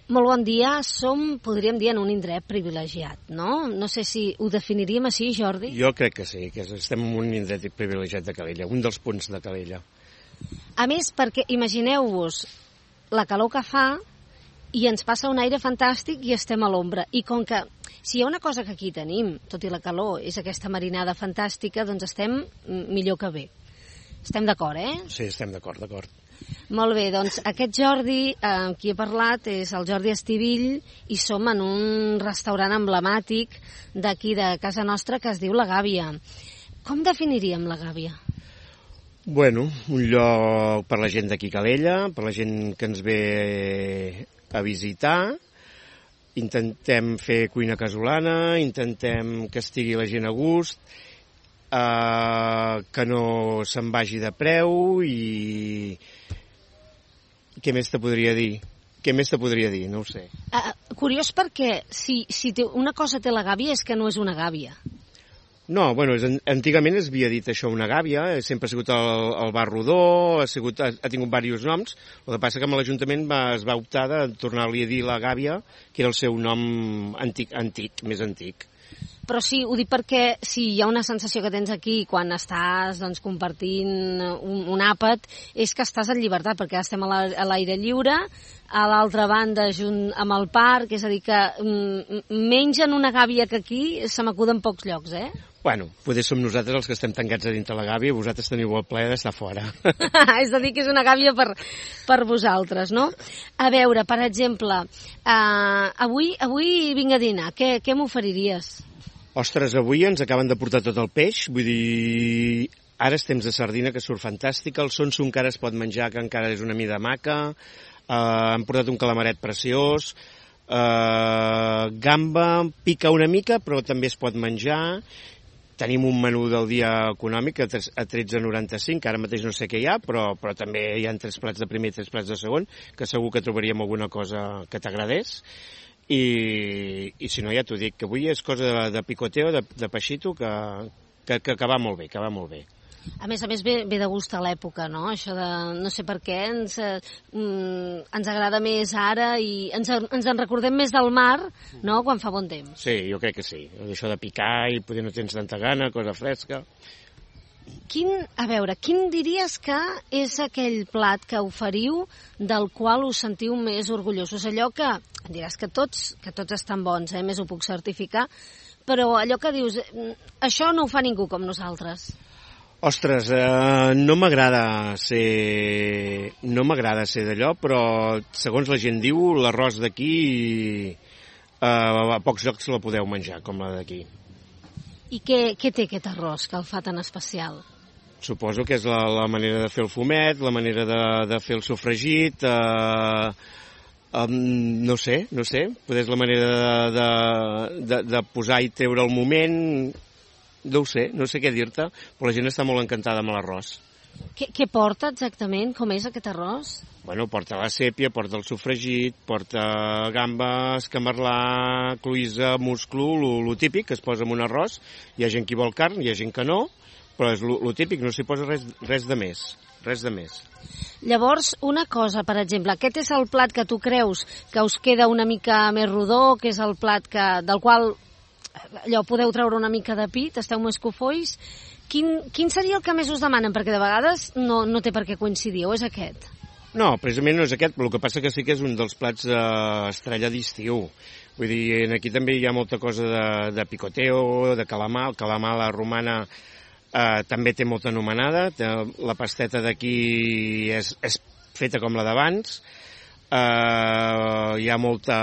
Molt bon dia. Som, podríem dir, en un indret privilegiat, no? No sé si ho definiríem així, Jordi. Jo crec que sí, que estem en un indret privilegiat de Calella, un dels punts de Calella. A més, perquè imagineu-vos la calor que fa i ens passa un aire fantàstic i estem a l'ombra. I com que, si hi ha una cosa que aquí tenim, tot i la calor, és aquesta marinada fantàstica, doncs estem millor que bé. Estem d'acord, Sí, estem d'acord. Molt bé, doncs aquest Jordi amb qui he parlat és el Jordi Estivill i som en un restaurant emblemàtic d'aquí de casa nostra que es diu La Gàbia. Com definiríem La Gàbia? Bueno, un lloc per la gent d'aquí Calella, per la gent que ens ve a visitar. Intentem fer cuina casolana, intentem que estigui la gent a gust, que no se'n vagi de preu i... Què més te podria dir? No ho sé. Curiós perquè si una cosa té la gàbia és que no és una gàbia. No, bueno, antigament es havia dit això una gàbia, sempre ha sigut el bar rodó, ha tingut diversos noms, el que passa que amb l'Ajuntament es va optar de tornar-li a dir la gàbia, que era el seu nom antic, més antic. Però sí, ho dic perquè si hi ha una sensació que tens aquí quan estàs menys un àpat, és que estàs en llibertat, perquè estem a l'aire lliure, a l'altra banda junt amb el parc, és a dir que menys en una gàbia que aquí se m'acuden pocs llocs, Bueno, potser som nosaltres els que estem tancats a dintre la gàbia i vosaltres teniu el plaer d'estar fora. És a dir, que és una gàbia per vosaltres, no? A veure, per exemple, avui vinc a dinar, què m'oferiries? Ostres, avui ens acaben de portar tot el peix, vull dir, ara és temps de sardina, que surt fantàstica, el sonso encara es pot menjar, que encara és una mida maca, han portat un calamaret preciós, gamba, pica una mica, però també es pot menjar. Tenim un menú del dia econòmic a 13,95, ara mateix no sé què hi ha, però també hi ha 3 plats de primer i 3 plats de segon, que segur que trobaríem alguna cosa que t'agradés. I si no, ja t'ho dic, que avui és cosa de picoteo, de peixito, que va molt bé, A més, ve de gust a l'època, no? Això de, no sé per què, ens agrada més ara i ens en recordem més del mar, no?, quan fa bon temps. Sí, jo crec que sí. Això de picar i poder no tens tanta gana, cosa fresca. Quin diries que és aquell plat que oferiu del qual us sentiu més orgullosos? Allò que, em diràs que tots estan bons, més ho puc certificar, però allò que dius, això no ho fa ningú com nosaltres. Ostres, no m'agrada ser d'allò, però segons la gent diu, l'arròs d'aquí a pocs llocs la podeu menjar, com la d'aquí. I què té aquest arròs que el fa tan especial? Suposo que és la manera de fer el fumet, la manera de fer el sofregit, no sé, potser és la manera de posar i treure el moment, no sé què dir-te, però la gent està molt encantada amb l'arròs. Què porta exactament? Com és aquest arròs? Bueno, porta la sèpia, porta el sofregit, porta gamba, escamarlà, cloïssa, musclo, lo típic que es posa en un arròs. Hi ha gent que vol carn, hi ha gent que no, però és lo típic, no s'hi posa res de més. Llavors, una cosa, per exemple, aquest és el plat que tu creus que us queda una mica més rodó, que és el plat del qual allò podeu treure una mica de pit, esteu més cofois. Quin seria el que més us demanen? Perquè de vegades no té per què coincidir, o és aquest? No, precisament no és aquest, però el que passa que sí que és un dels plats estrella d'estiu. Vull dir, aquí també hi ha molta cosa de picoteo, de calamar. El calamar a la romana també té molta anomenada. La pasteta d'aquí és feta com la d'abans. Hi ha molta...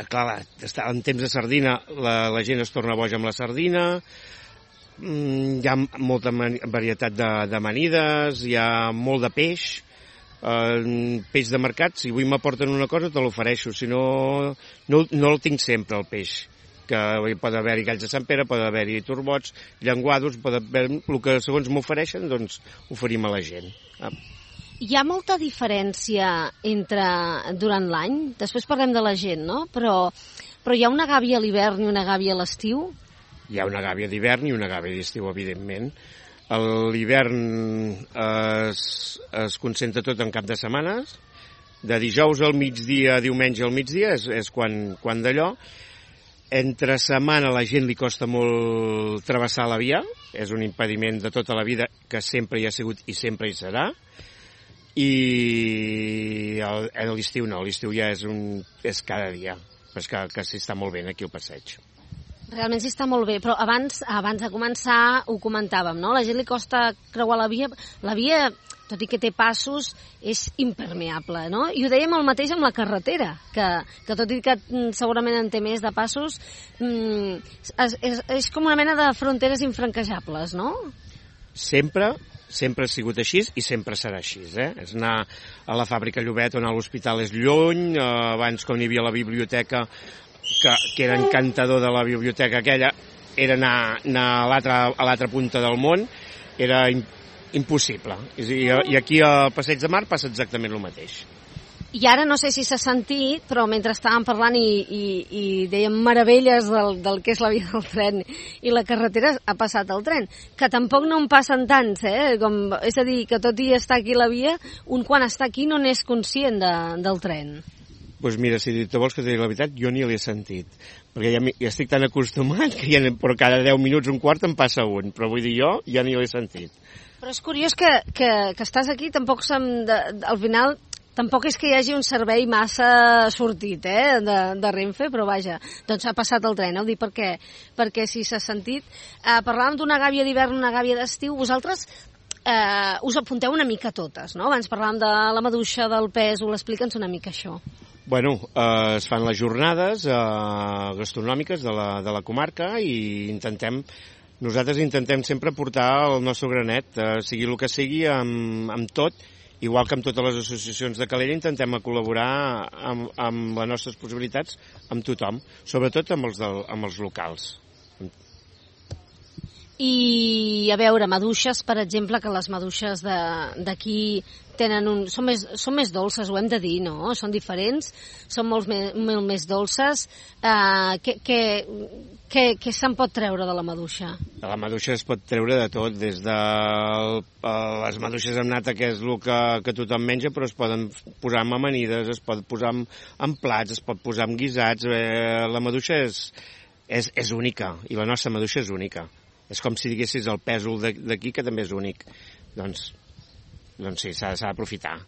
Clar, en temps de sardina la gent es torna boja amb la sardina. Hi ha molta varietat d'amanides, hi ha molt de peix, peix de mercat. Si avui m'aporten una cosa te l'ofereixo, si no el tinc sempre, el peix. Que pot haver-hi galls de Sant Pere, pot haver-hi torbots, llenguados, pot haver el que segons m'ofereixen, doncs oferim a la gent. Hi ha molta diferència durant l'any? Després parlem de la gent, no? Però hi ha una gàbia a l'hivern i una gàbia a l'estiu? Hi ha una gàbia d'hivern i una gàbia d'estiu, evidentment. A l'hivern es concentra tot en cap de setmanes, De dijous al migdia, diumenge al migdia, és quan d'allò. Entre setmana la gent li costa molt travessar la via, és un impediment de tota la vida que sempre hi ha sigut i sempre hi serà. I l'estiu no, l'estiu ja és cada dia, és que s'hi està molt bé aquí al passeig. Realment s'hi està molt bé, però abans de començar ho comentàvem, no? La gent li costa creuar la via, tot i que té passos, és impermeable, no? I ho dèiem el mateix amb la carretera, que tot i que segurament en té més de passos, és com una mena de fronteres infranquejables, no? Sempre ha sigut així i sempre serà així, És anar a la fàbrica Llobet o anar a l'hospital és lluny, abans quan hi havia la biblioteca, que era encantador de la biblioteca aquella, era anar a l'altra punta del món, era impossible. I aquí al Passeig de Mar passa exactament el mateix. I ara no sé si s'ha sentit, però mentre estàvem parlant i dèiem meravelles del que és la via del tren i la carretera, ha passat el tren, que tampoc no en passen tants, és a dir, que tot i estar aquí la via, un quan està aquí no n'és conscient del tren. Doncs mira, si te vols que t'hi digui la veritat, jo ni l'he sentit, perquè ja estic tan acostumat que però cada 10 minuts, un quart, em passa un, però vull dir, jo ja ni l'he sentit. Però és curiós que estàs aquí, tampoc al final tampoc és que hi hagi un servei massa sortit de Renfe, però vaja, doncs ha passat el tren, ho dic perquè si s'ha sentit. Parlàvem d'una gàbia d'hivern, una gàbia d'estiu, vosaltres us apunteu una mica totes, no? Abans parlàvem de la maduixa, del pèsol, explica'ns una mica això. Bueno, es fan les jornades gastronòmiques de la comarca i nosaltres intentem sempre portar el nostre granet, sigui el que sigui, amb tot, igual que amb totes les associacions de Calella, intentem col·laborar amb les nostres possibilitats amb tothom, sobretot amb els locals. I, a veure, maduixes, per exemple, que les maduixes d'aquí són més dolces, ho hem de dir, no? Són diferents, són molt més dolces. Què se'n pot treure de la maduixa? De la maduixa es pot treure de tot, des de les maduixes amb nata, que és el que tothom menja, però es poden posar en amanides, es pot posar en plats, es pot posar en guisats. La maduixa és única, i la nostra maduixa és única. És com si diguessis el pèsol d'aquí, que també és únic. Doncs sí, s'ha d'aprofitar.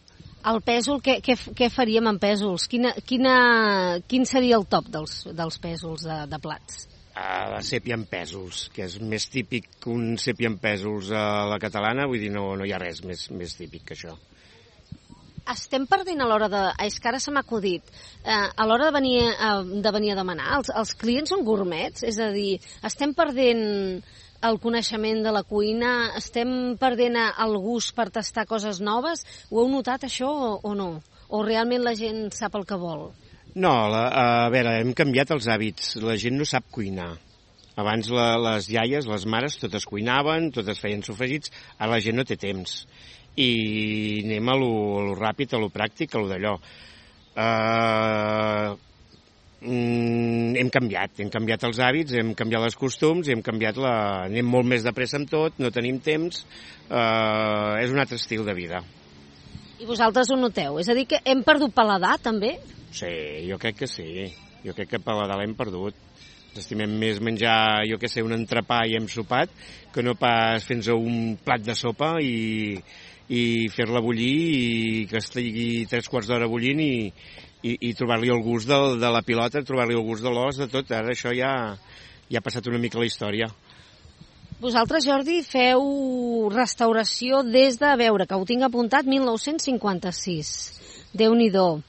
El pèsol, què faríem amb pèsols? Quin seria el top dels pèsols de plats? La sèpia amb pèsols, que és més típic que un sèpia amb pèsols a la catalana, vull dir, no hi ha res més típic que això. Estem perdent a l'hora de... És que ara se m'ha acudit. A l'hora de venir a demanar, els clients són gourmets? És a dir, estem perdent el coneixement de la cuina? Estem perdent el gust per tastar coses noves? Ho heu notat, això, o no? O realment la gent sap el que vol? No, a veure, hem canviat els hàbits. La gent no sap cuinar. Abans les iaies, les mares, totes cuinaven, totes feien sofregits. Ara la gent no té temps. I anem a lo ràpid, a lo pràctic, a lo d'allò. Hem canviat els hàbits, hem canviat els costums, anem molt més de pressa amb tot, no tenim temps, és un altre estil de vida. I vosaltres ho noteu? És a dir, que hem perdut paladar, també? Sí, jo crec que sí. Jo crec que paladar l'hem perdut. Ens estimem més menjar, jo què sé, un entrepà i hem sopat, que no pas fins a un plat de sopa i fer-la bullir i que estigui 3 quarts d'hora bullint i trobar-li el gust de la pilota, trobar-li el gust de l'os, de tot. Ara això ja ha passat una mica la història. Vosaltres, Jordi, feu restauració des de, a veure, que ho tinc apuntat, 1956. Déu-n'hi-do.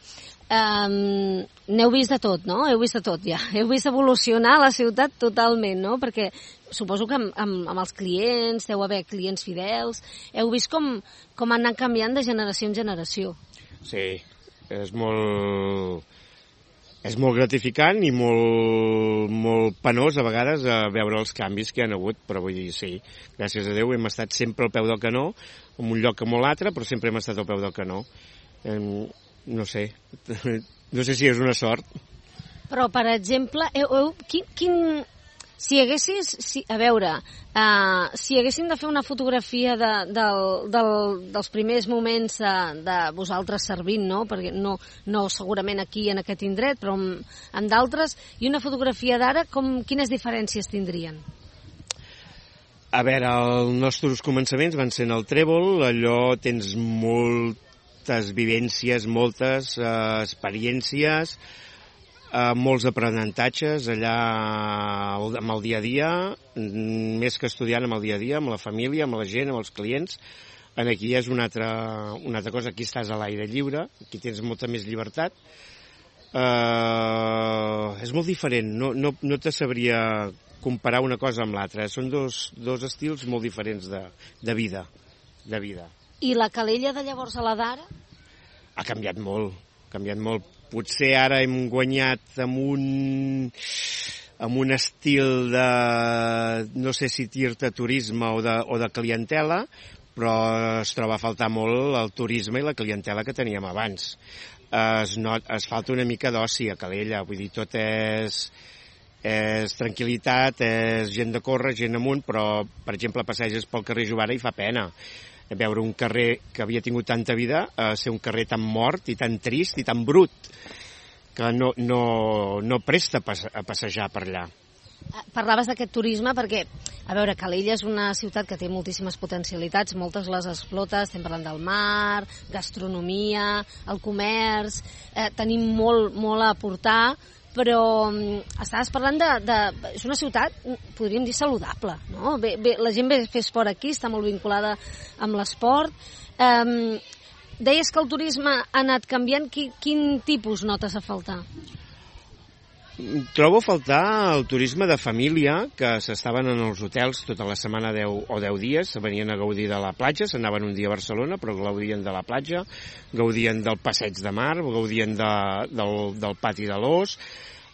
N'heu vist de tot, no? Heu vist de tot, ja. Heu vist evolucionar la ciutat totalment, no? Perquè suposo que amb els clients, deu haver clients fidels, heu vist com han anat canviant de generació en generació. Sí, és molt gratificant i molt penós a vegades veure els canvis que hi ha hagut, però vull dir, sí, gràcies a Déu hem estat sempre al peu del canó, en un lloc com l'altre, però sempre hem estat al peu del canó. No sé si és una sort. Però, per exemple, Si haguéssim de fer una fotografia dels primers moments de vosaltres servint, no? Perquè no segurament aquí en aquest indret, però en d'altres, i una fotografia d'ara, quines diferències tindrien? A veure, els nostres començaments van ser en el Trèvol, allò tens moltes vivències, moltes experiències, molts aprenentatges allà amb el dia a dia, més que estudiant amb el dia a dia, amb la família, amb la gent, amb els clients. Aquí és una altra cosa, aquí estàs a l'aire lliure, aquí tens molta més llibertat. És molt diferent, no te sabria comparar una cosa amb l'altra. Són dos estils molt diferents de vida. I la Calella de llavors a la d'ara? Ha canviat molt. Potser ara hem guanyat amb un estil de, no sé si dir-te turisme o de clientela, però es troba a faltar molt el turisme i la clientela que teníem abans. Es falta una mica d'oci a Calella, vull dir, tot és tranquil·litat, és gent de córrer, gent amunt, però, per exemple, passeges pel carrer Jovara i fa pena veure un carrer que havia tingut tanta vida ser un carrer tan mort i tan trist i tan brut que no presta a passejar per allà. Parlaves d'aquest turisme perquè, a veure, Calella és una ciutat que té moltíssimes potencialitats, moltes les explota, estem parlant del mar, gastronomia, el comerç, tenim molt a aportar, però estaves parlant és una ciutat, podríem dir, saludable, no? La gent ve a fer esport aquí, està molt vinculada amb l'esport. Deies que el turisme ha anat canviant, quin tipus notes a faltar? Trobo a faltar el turisme de família, que s'estaven en els hotels tota la setmana 10 dies, venien a gaudir de la platja, s'anaven un dia a Barcelona, però gaudien de la platja, gaudien del passeig de mar, gaudien del pati de l'Os,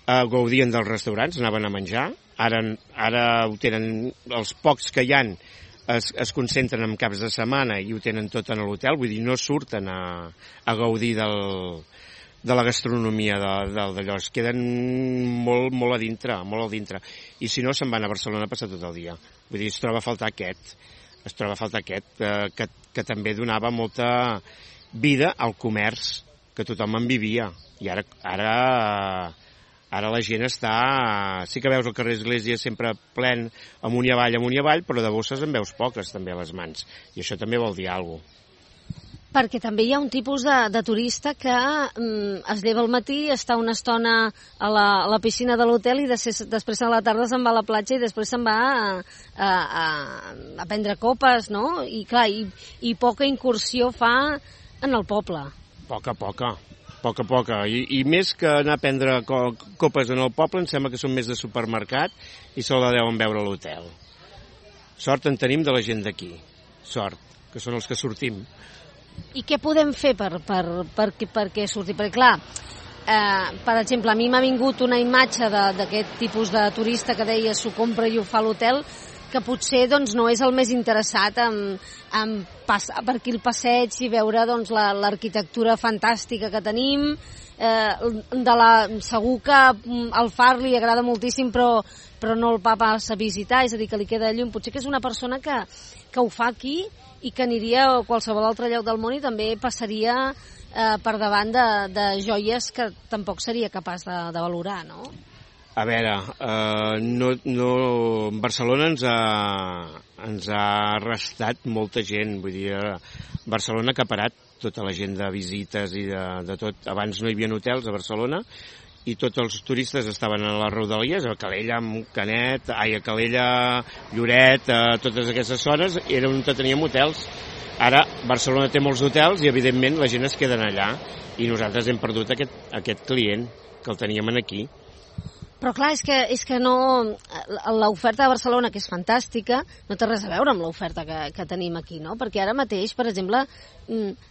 gaudien dels restaurants, anaven a menjar. Ara ho tenen, els pocs que hi han es concentren en caps de setmana i ho tenen tot en l'hotel, vull dir, no surten a gaudir de la gastronomia d'allò, es queden molt a dintre, i si no se'n van a Barcelona a passar tot el dia. Vull dir, es troba a faltar aquest, que també donava molta vida al comerç, que tothom en vivia, i ara la gent està... Sí que veus el carrer Església sempre plen amunt i avall, però de bosses en veus poques també a les mans, i això també vol dir alguna cosa. Perquè també hi ha un tipus de turista que es lleva al matí, està una estona a la piscina de l'hotel i després a la tarda se'n va a la platja i després se'n va a prendre copes, no? I clar, i poca incursió fa en el poble. Poca. I més que anar a prendre copes en el poble, em sembla que són més de supermercat i se la deuen veure a l'hotel. Sort en tenim de la gent d'aquí. Sort, que són els que sortim. I què podem fer perquè surti? Perquè, clar, per exemple, a mi m'ha vingut una imatge d'aquest tipus de turista que deia s'ho compra i ho fa a l'hotel, que potser doncs, no és el més interessat en passar per aquí el passeig i veure doncs, l'arquitectura fantàstica que tenim. Segur que al Far li agrada moltíssim, però no el va a visitar, és a dir, que li queda lluny. Potser que és una persona que ho fa aquí i que aniria a qualsevol altre lloc del món i també passaria per davant de joies que tampoc seria capaç de valorar, no? A veure, Barcelona ens ha arrestat molta gent, vull dir, Barcelona ha acaparat tota la gent de visites i de tot. Abans no hi havia hotels a Barcelona i tots els turistes estaven a les rodalies, a Calella, Canet, a Calella, Lloret, a totes aquestes zones, era on teníem hotels. Ara Barcelona té molts hotels i evidentment la gent es queda allà i nosaltres hem perdut aquest client que el teníem aquí. Però clar, és que no... L'oferta de Barcelona, que és fantàstica, no té res a veure amb l'oferta que tenim aquí, no? Perquè ara mateix, per exemple,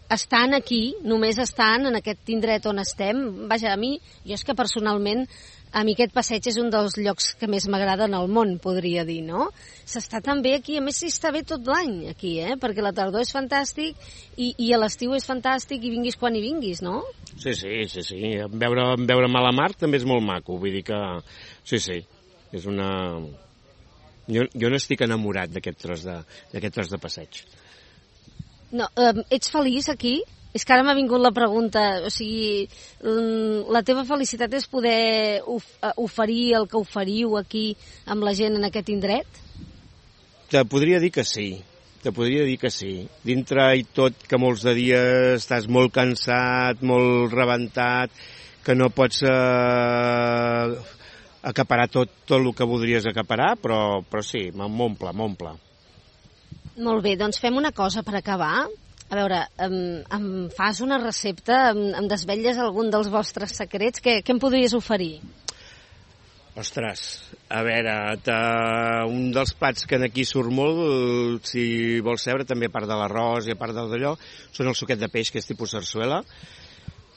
estan aquí, només estan en aquest indret on estem. Vaja, jo és que personalment, a mi aquest passeig és un dels llocs que més m'agrada en el món, podria dir, no? S'està tan bé aquí, a més s'hi està bé tot l'any aquí, perquè la tardor és fantàstic i a l'estiu és fantàstic i vinguis quan hi vinguis, no? Sí. Veure Malamar també és molt maco, vull dir que... Sí. És una... Jo no estic enamorat d'aquest tros de passeig. No, ets feliç aquí? És que ara m'ha vingut la pregunta, o sigui, la teva felicitat és poder oferir el que oferiu aquí amb la gent en aquest indret? Te podria dir que sí. Dintre i tot, que molts de dies estàs molt cansat, molt rebentat, que no pots acaparar tot el que voldries acaparar, però sí, m'omple. Molt bé, doncs fem una cosa per acabar. A veure, em fas una recepta, em desvetlles algun dels vostres secrets? Què em podries oferir? Ostres, a veure, un dels plats que aquí surt molt, si vols saber, també a part de l'arròs i a part d'allò, són el suquet de peix, que és tipus sarsuela,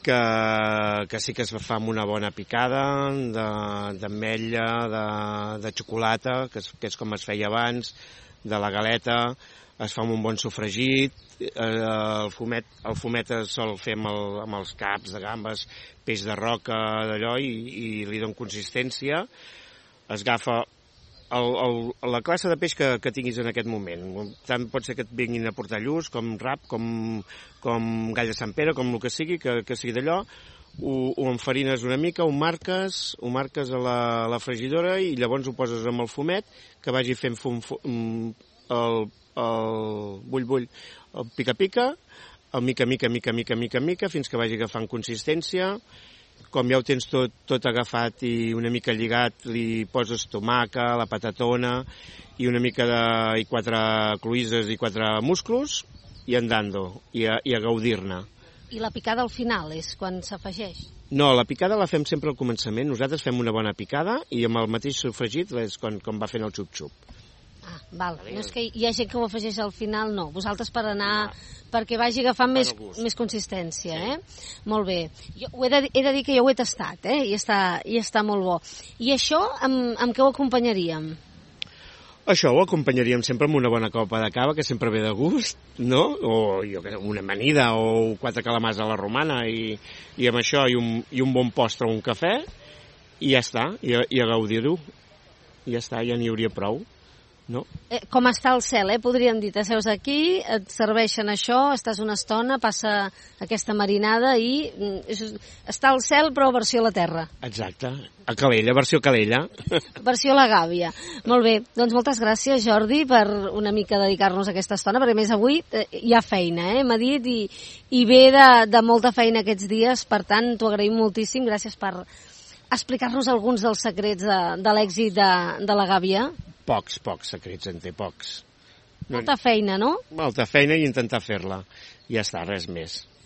que sí que es fa amb una bona picada d'ametlla, de xocolata, que és com es feia abans, de la galeta, es fa amb un bon sofregit, el fumet es sol fer amb els caps de gambes, peix de roca, d'allò, i li dona consistència. Es agafa la classe de peix que tinguis en aquest moment. Tant pot ser que et vinguin a portar lluç, com rap, com gall de Sant Pere, com el que sigui d'allò. Ho enfarines una mica, ho marques a la fregidora i llavors ho poses amb el fumet, que vagi fent el bull, el pica-pica, el mica, fins que vagi agafant consistència. Com ja ho tens tot agafat i una mica lligat, li poses tomaca, la patatona i una mica i 4 cloïsses i 4 musclos i andando, i a gaudir-ne. I la picada al final és quan s'afegeix? No, la picada la fem sempre al començament. Nosaltres fem una bona picada i amb el mateix sofregit és com va fent el xup-xup. Ah, val. No és que hi ha gent que ho afegeix al final, no. Vosaltres per anar... perquè vagi agafant més consistència, eh? Molt bé. He de dir que jo ho he tastat, eh? I està molt bo. I això, amb què ho acompanyaríem? Això ho acompanyaríem sempre amb una bona copa de cava, que sempre ve de gust, no? O una amanida o 4 calamars a la romana, i amb això i un bon postre o un cafè, i ja està, i a gaudir-ho. I ja està, ja n'hi hauria prou. No? Com està el cel, podríem dir, t'asseus aquí, et serveixen això, estàs una estona, passa aquesta marinada i està al cel però versió a la terra. Exacte, a Calella, versió Calella. Versió la gàbia. Molt bé, doncs moltes gràcies, Jordi, per una mica dedicar-nos a aquesta estona, perquè més avui hi ha feina, m'ha dit, i ve de molta feina aquests dies, per tant t'ho agraïm moltíssim, gràcies per explicar-nos alguns dels secrets de l'èxit de la gàbia. Pocs secrets en té, pocs. Molta feina, no? Molta feina i intentar fer-la. Ja està, res més.